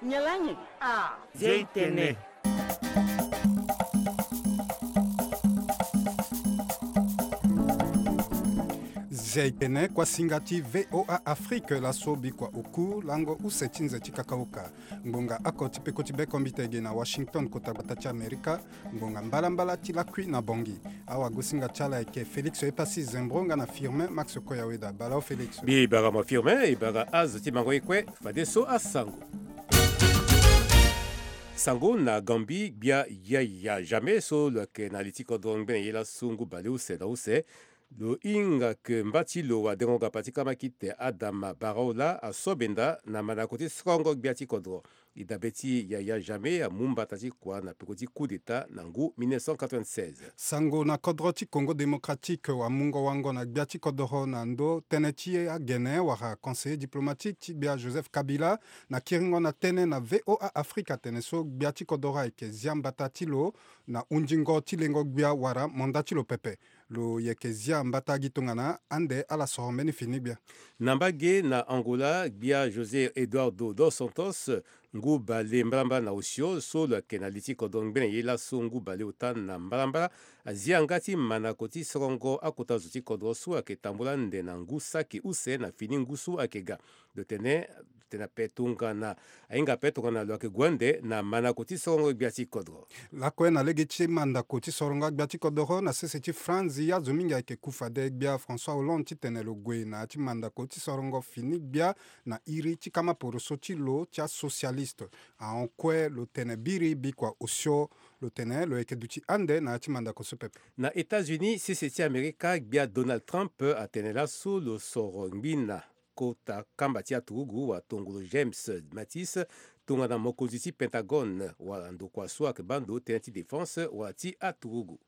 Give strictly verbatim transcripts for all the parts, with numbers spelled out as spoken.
Nyalangi. Ah. Zia itene. Zia itene, kuasinga ti V O A Afrique, laso bikua oku lango use ti nze ti kakaoka. Ngbonga oko ti peko ti bekombite ge na Washington, kota gbata ti Amerika. Ngbonga mbalambala ti lakui na Bongi. Awagosinga ti ala ayeke Félix Epassi Zembro nga na Firmin Max Koyaweda. Bala o Félix. Mbi bara mo Firmin, e bara azo ti mango ye kue, fadeso asango. Sango na Gambie, gbia Yaya Jammeh so lo yeke na li ti kodro ngbene ye laso ngu baleuse na use. Lo hinga ke mba ti lo adengo gapa ti kamakite Adama Barrow laa aso benda na mandako ti sorongo gbia ti kodro. E dabe ti Yaya Jammeh amu mbata ti kua na peko ti coup d'État na ngu mille neuf cent quatre-vingt-seize. Sango na kodro ti Congo Démocratique, wamungo wango na gbia ti kodoro na ndo tënë ti agene wala conseiller diplomatique ti gbia Joseph Kabila na kiringo na tënë na V O A Afrique atene so gbia ti kodoro ayeke zia mbata ti lo na hundingo ti lengo gbia wala manda ti lo pepe. Lo yeke zia mbata gi tongana ande ala soro mbeni fini gbia. Na mbage na Angola, gbia José Eduardo dos Santos, ngu bale mbalambala na osio so lo yeke na li ti kodro ngbene ye laso ngu bale ota na mbalambala, azia nga ti mandako ti sorongo akota zo ti kodro so ayeke tambula ande na ngu saki use na fini ngu so ayeke ga. Lo tene, tene ape tongana, ahinga ape tongana lo yeke gue ande na mandako ti sorongo gbia ti kodro. Lakue na lege ti mandako ti sorongo agbia ti kodoro na sese ti France, azo mingi ayeke ku fade gbia François Hollande titene lo gue na ya ti mandako ti sorongo fini gbia na iri ti kama poroso ti lo ti asocialiste. Ahon kue lo tene biri bikua osio, lo tene lo yeke duti ande na ya ti mandako so pepe. Na États-Unis, sese ti Amerika, gbia Donald Trump atene laso lo soro ngbina kota kamba ti aturugu wala tongolo James Mattis tongana mokonzi ti Pentagone wala ndokua so ayeke baa ndo tënë ti défense wala ti aturugu.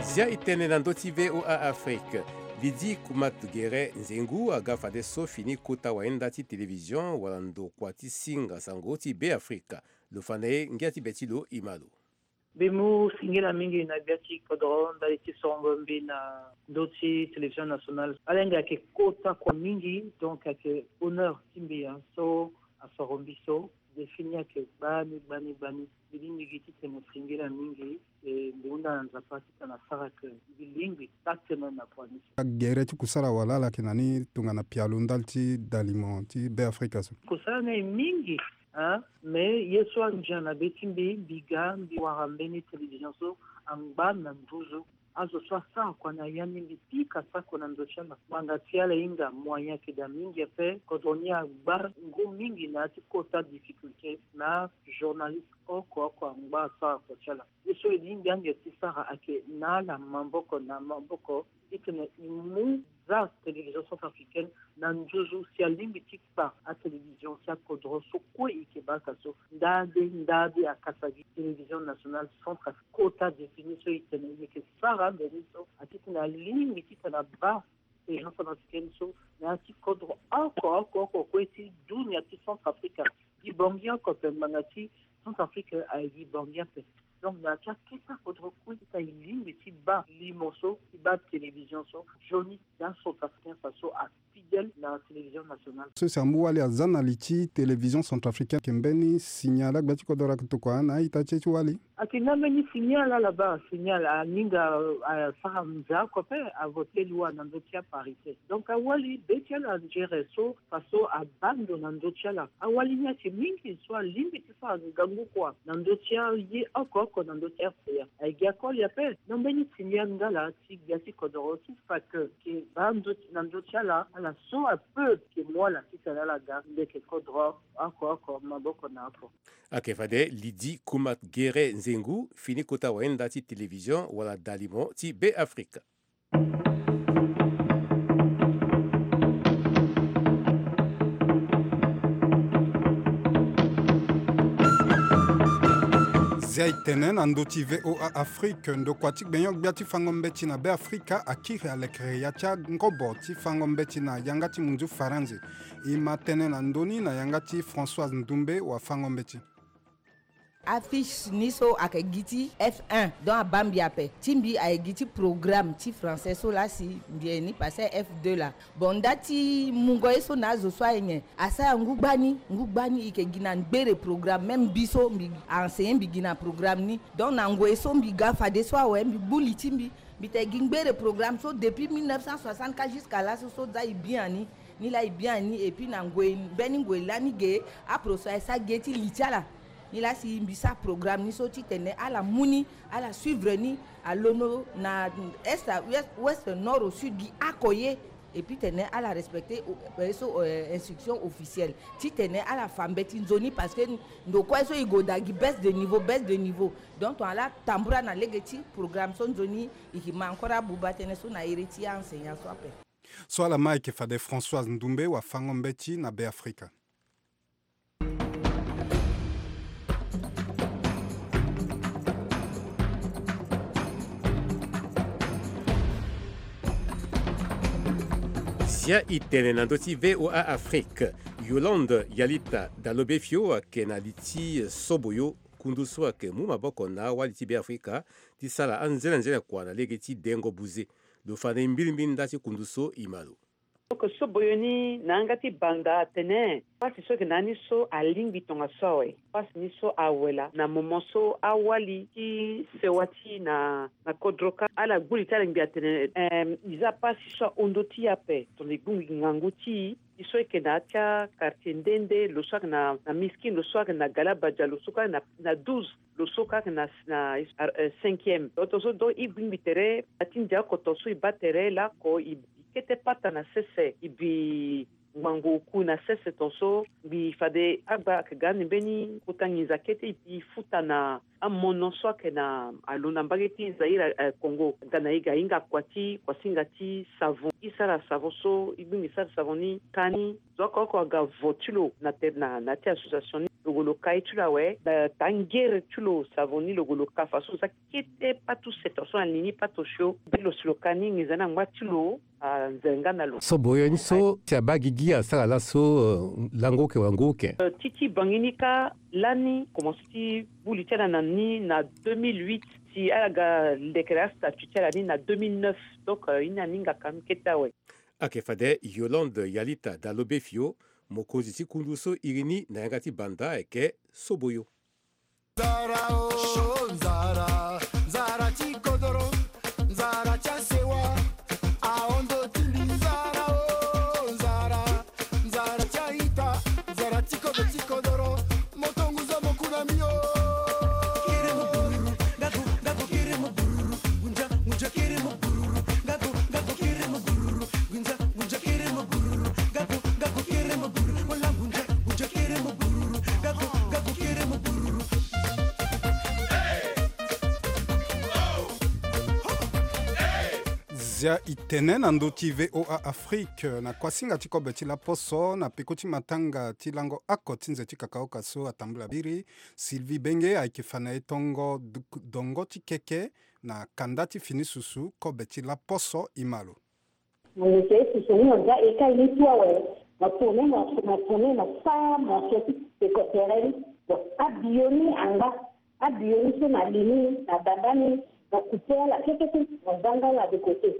Zia e tene na ndö ti V O A Afrique. Lydie Kumat Gere Nzengu aga fadeso fini kota wayenda ti télévision wala ndokua ti singa sango ti Beafrika. Lo fa na e ngia ti be ti lo e ma lo. Mbi mu singila mingi na gbia ti kodoro ndali ti sorongo mbi na ndö ti télévision nationale. Ala hinga ayeke kota kua mingi, donc ayeke honneur ti mbi, hein, so asoro mbi so. Défi ni ayeke gbani, gbani, gbani. Mbi lingbi gi titene singila mingi, e mbi hunda na Nzapa titene asara ke mbi lingbi taa tënë na kua ni so. Agere ti kusala wala ala yeke na ni tongana pialo ndali ti dalimo ti Beafrika so? Kusala ni aye mingi. Hein? Mais ye so andia na be ti mbi, mbi ga mbi wara mbeni télévision so angba na nduzu. Azo so asara kua na ya ni, mbi pika sako na ndo ti ala. Ngbanga ti ala hinga, moyen ayeke daa mingi ape. Kodro ni agba ngu mingi na ya ti kota difficulté na journaliste oko oko angba asara kua ti ala. Ye so e lingbi ange ti sara ayeke na ala maboko na maboko titene e mu za télévision centrafricaine na nduzu si alingbi ti kpa atélévision ti akodro so kue e yeke baa ka so. Ndade ndade akasa gi télévision nationale centrafricaine kota défini so e tene e yeke sara mbeni so atitene alingbi titene abaa télévision centrafricaine so na ya ti kodro oko oko oko kue ti dunia ti Centrafrique. Gi Bangui oko ape, ngbanga ti Centrafrique aye gi Bangui ape. Donc na ya ti akete akodro kue ti ta e lingbi ti baa limo so ti baa télévision so. Nzoni na Centrafricain fa so afidèle na télévision nationale. So si amu wali aza na li ti télévision centrafricaine, ayeke mbeni signal agbia ti kodoro ayeke tokua na a-ita ti e ti wali? Ayeke nga mbeni signal ala baa, signal aninga, euh, asara nze oko ape, avote loi na ndö ti aparité. Donc awali be ti ala nzere so fa so abaa ndo na ndö ti ala. Awali ni ayeke mingi so alingbi ti sara ngangu kua na ndö ti aye oko oko na ndö ti R C A. Aye gi akoli ape. Na mbeni signal nga laa ti gbia ti kodoro ti fa ke, ke baa ndo ti, na ndö ti ala, ala so ape ke mu ala titene ala ga ndeke kodro oko oko maboko na oko. Ayeke fade Lydie Kumat Gere Nzengu, fini kota wayenda ti télévision wala dalimo ti Beafrika. Zia e tene na ndö ti V O A Afrique, ndokua ti gbenyo-gbia ti fango mbeti na Beafrika akiri alekere ya ti angobo ti fango mbeti na yanga ti munzu Faranzi. E ma tënë na ndö ni na yanga ti Françoise Ndoumbe, wafango mbeti. Affiche ni so ayeke gi ti F un, donc abaa mbi ape. Ti mbi ayeke gi ti programme ti français so laa si mbi yeke ni passé F deux laa. Bon, nda ti mungo ye so na azo so aye nyen, asara ngu gbani, ngu gbani e yeke gi na ngbere programme. Même mbi so mbi a enseigné, mbi gi na programme ni. Donc na ngoi so mbi ga fadeso awe, mbi gbu li ti mbi. Mbi tene gi ngbere programme so depuis mille neuf cent soixante ka jusqu'à laso so za e bien ni. Ni laa e bien ni, et puis na ngoi, mbeni ngoi lani ge, aproso aye sara ge ti li ti ala. Ni laa si mbi sara programme ni so titene ala mu ni, ala suivre ni, alondo na est à ouest, ouest, nord au sud, gi oko ye. Et puis tene ala respecté, euh, so, euh, instruction officielle. Titene ala fa mbeti nzoni, parce que ndo kue so e gue daa gi baisse de niveau, baisse de niveau. Donc tongana ala tambula na lege ti programme so, nzoni e ke ma encore abuba tënë so na iri ti a-enseignant so ape. So ala ma ayeke fade Françoise Ndoumbe, wafango-mbeti na Beafrika. Zia e tene na ndö ti V O A Afrique. Yolande Yalita Dalobefio ayeke na li ti Soboyo, kundu so ayeke mu maboko na awali ti Beafrika ti sara anzenanzene kua na lege ti dengo buze. Lo fa na e mbilimbili nda ti kundu so, e ma lo. Oko Soboyo ni na yanga ti banda atene pasi so ayeke na ni so alingbi tongaso awe. Pasi ni so awe laa na moment so awali ti sewa ti e na, na kodro kâ, ala gbu li ti ala ngbi atene, em, e za pasi so ahon ndö ti e ape, tongana e gbingbi ngangu ti e. E so ayeke na ya ti a-quartier nde nde, lo so ayeke na, na Miskin, lo so ayeke na Galabadia, lo so kâ na, na douze, lo so kâ ayeke na, na, euh, cinquième. Tongaso donc e gbingbi tere na ti ndia oko tongaso e baa tere lako e, e kete pata na sese, e bi ngbangbo oku na sese tongaso. Mbi fade agba ayeke ga ande mbeni kota nginza kete, e bi futa na amono so ayeke na alo na mbage ti Zaïre, eh, Congo. Ga na e ga e hinga kua ti, kuasinga ti savon. E sara savon so, e gbingbi sara savon ni kâ ni. Zo oko oko aga vo ti lo na tere na, na ya ti association ni. Lo gue lo ka ye ti lo awe, na taa ngere ti lo savon ni lo gue lo ka faso. Lo za kete pâte use tongaso na li ni pâte osio. Be lo si lo ka ni nginza ni angba ti lo anzenga na lo. Soboyo ni so si abaa gigi asara laso, euh, lango oke wala ngu oke? Euh, ti ti bangi ni kâ lani komanse ti gbu li ti ala na ni na deux mille huit, si ala ga lekere astatut ti ala ni na deux mille neuf. Donc, euh, e ni aninga ka ni kete awe. Ayeke fade Yolande Yalita Dalobefio, mokonzi ti kundu so iri ni na yanga ti banda ayeke Soboyo. Nzara o, nzara, nzara ti kodoro, nzara ti asewa, ahon ndö ti mbi. Nzara o, nzara, nzara ti a-ita, nzara ti kodro ti kodoro, moto ngu zo mo ku na mbi o. Kiri mo bururu, nga go, nga go kiri mo bururu, ngunja, ngunja kiri mo bururu, nga go, nga go kiri mo bururu, ngunja, ngunja kiri mo bururu, nga go, nga go kiri mo bururu, wala ngunja, ngunja kiri mo bururu, nga go, nga go kiri mo bururu. Zia e tene na ndö ti V O A Afrique, na kuasinga ti kobe ti laposo, na peko ti matanga ti lango oko ti nze ti kakaoka so atambula biri, Sylvie Benge ayeke fa na e tongo du-, dongo ti keke na kanda ti fini susu kobe ti laposo, e ma lo. Mo yeke ye susu ni, mo za eka ye ni tu awe, mo tourne, mo, mo tourne, mo sara morceau ti peko tere ni. Bon, abiyo ni angba, abiyo ni so na li ni, na banda ni, mo coupe ala keke ti, mo za nga ala de côté.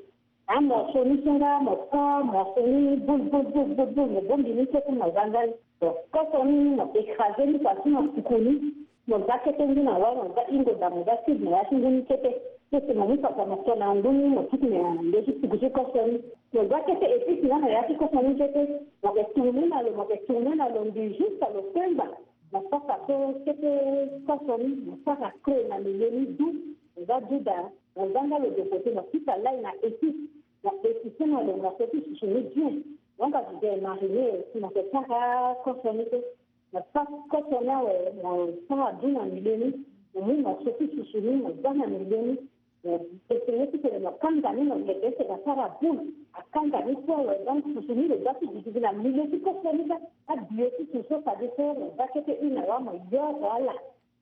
Amorceau ni so nga mo sara morceau ni boule, boule, boule, boule, boule, mo bongbi ni keke, mo za nga ni. Bon, koso ni mo écrasé ni, façon mo tuku ni. Mo za kete ngu na wâ, mo za hingo da, mo za cube na ya ti ngu ni kete. Kete mo mu papa mo to na ngu ni, mo tuku na ndö ti tuku ti koso ni. Mo za kete épice nga na ya ti koso ni kete. Mo ke tourné na lo, mo ke tourné na lo mbi jusqu'à lo kemba. Mo saka so kete koso ni, mo saka creux na milieu ni du. Mo za du da, mo za nga lo de côté, mo fika lay na épice. Mo épice na lo, mo feti susu ni bien. Donc, azo de mariné, si mo ke sara koso ni kete. Mo sara koso ni awe, mo sara du na milieu ni, mo mu morceau ti susu ni, mo za na milieu ni, mo essayer ti tene mo kanga ni, mo yeke ese mo sara boule, akanga ni kue awe, donc susu ni lo za ti gigi na milieu ti koso ni kâ, abiyo ti susu so fade so mo za kete une na wâ mo yoro ala,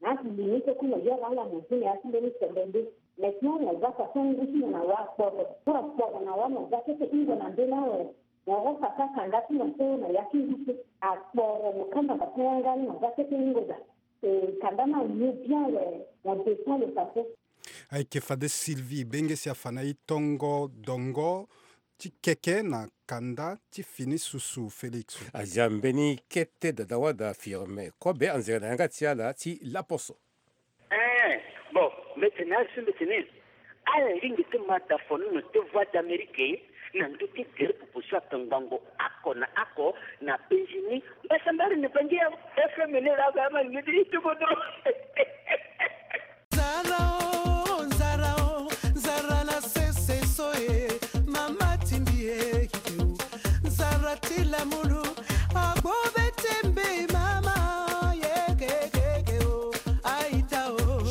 na li ni so kue mo yoro ala mo zi na ya ti mbeni sembe nde. Maintenant mo za façon ngu ti mo na wâ akporo, so akporo na wâ mo za kete hingo na mbeni awe. Mo rosa kâ kanda ti mo so na ya ti ngu so akporo, mo kanda mo kanga ni, mo za kete hingo da. Kanda na ye bien le na dépend le façon. Ayeke fade Sylvie Bengesi afa na e tongo dongo ti keke na kanda ti fini susu Félix. Azia mbeni kete dada wada Firmin Kobe anzere na yanga ti ala ti laposo. Eh, bon, mbetene asu mbetene. Ala lingbi ti ma da fonono ti Voix d'Amérique na ndö ti gere pupu so atongbango oko na oko na Benjini. Mbasambari ni bangi ya F M ni la ga ma ni di tukutu. Nzara o, nzara o, nzara na sese so e, mama tindi e, nzara ti lamulu, agbo be tembe mama, ye ke ke ke o, aita o.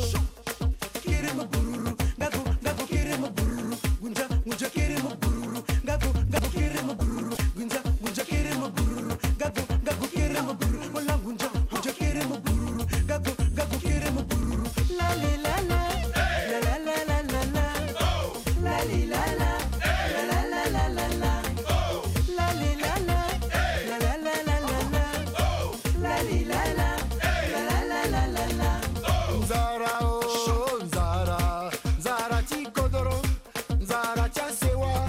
Kiri mu bururu, gagu, gagu, kiri mu bururu, gunja, gunja, kiri mu bururu, gagu, gagu, kiri mu bururu, gunja, gunja, kiri mu bururu, gagu, gagu, kiri mu bururu, wala gunja, gunja, kiri mu bururu, gagu, gagu, kiri mu bururu. La li la la, la la la la la la. La li la la, la la la la la la. La li la la, la la la la la la. La li la la, la la la la la la. Nzara o, nzara, nzara ti kodoro, nzara ti asewa.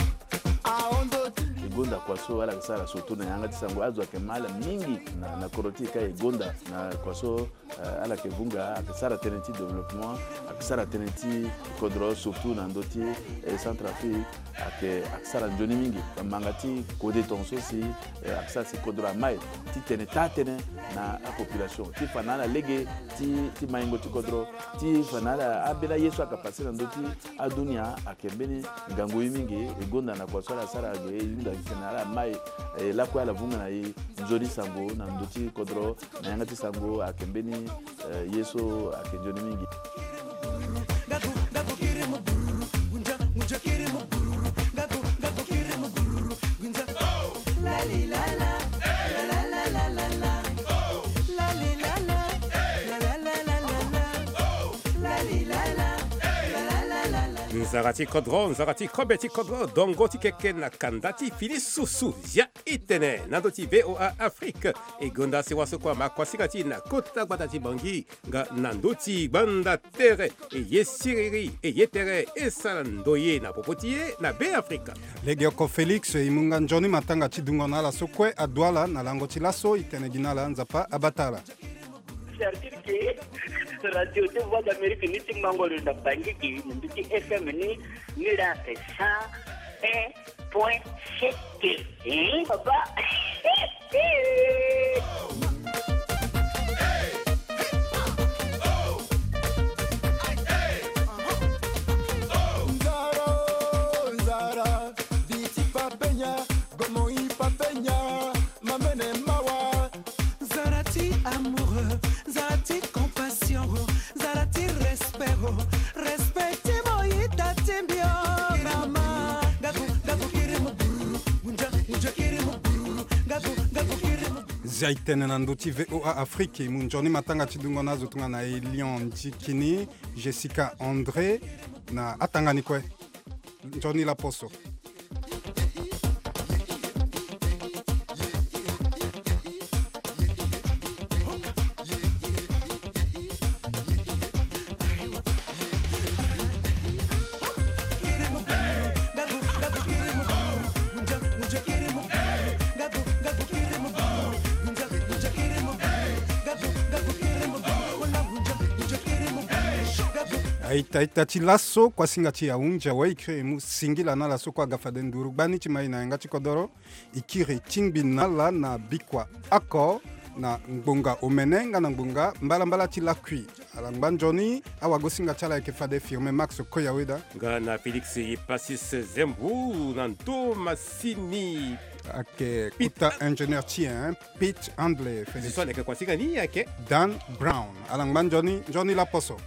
Ahon ndo ti e gonda kua so ala yeke sara surtout na yanga ti sango azo ayeke ma ala mingi na, na kodro ti e ka e gonda na kua so, eh, ala yeke vunga, ayeke sara tënë ti développement, ayeke sara tënë ti kodro surtout na ndö ti, eh, Centrafrique, ayeke, ayeke sara nzoni mingi. Manga ti kode tongaso si, eh, ayeke sara si kodro amai ti tene taa tënë na apopulation ti fa na ala lege ti, ti maingo ti kodro, ti fa na ala ambeni aye so ayeke pase na ndö ti adunia ayeke mbeni ngangu ye mingi. E gonda na kua so ala sara ge e hunda gi tene ala mai, eh, lakue ala vunga na e nzoni sango na ndö ti kodro. Na yanga ti sango ayeke mbeni, eh, ye so ayeke nzoni mingi. Nzara ti kodro, nzara ti kobe ti kodro, dongo ti keke na kanda ti fini susu. Zia e tene na ndö ti V O A Afrique. E gonda sewa so kue ama kuasinga ti e na kota gbata ti Bangui nga na ndö ti gbanda tere. E ye siriri, e ye tere, e sara ndoye na popo ti e na Be Afrika. Legeoko Félix, e mu nga nzoni matanga ti dungo na ala so kue adu ala na lango ti laso. E tene gi na ala, Nzapa abata ala. Sartir ke radio ti Voix d'Amérique ni ti mango lo na Bangui ke na ndö ti F M ni, ni la ke cent un point sept. Hein, papa. Nzara, nzara, viti papenya, gomo i papenya, mamene mawa. Nzara ti amour, nzara ti compassion, nzara ti respect, respect ti mo ita ti mbio. Mama, gagu, gagu kiri mo bururu, gunja, gunja kiri mo bururu, gagu, gagu kiri mo. Zia e tene na ndö ti V O A Afrique, e mu nzoni matanga ti dungo na azo tongana Elion Ndikini, Jessica André, na atanga ni kue. Nzoni laposo. Aita, aita ti laso, kuasinga ti ahunzi awe, e kiri e mu singila na ala so kue aga fade nduru gbani ti mai na yanga ti kodoro. E kiri e tingbi na ala na bikua oko na ngbonga omene nga na ngbonga mbalambala ti lakui. Ala ngba nzoni, awagosinga ti ala ayeke fade Firmin Max Koyaweda. Nga na Félix Epasis Zembu na ndo masini. Ayeke kota ingénieur ti e, hein, Pete Handley, Félix. Zo so ala yeke kuasinga ni ayeke Dan Brown. Ala ngba nzoni, nzoni laposo.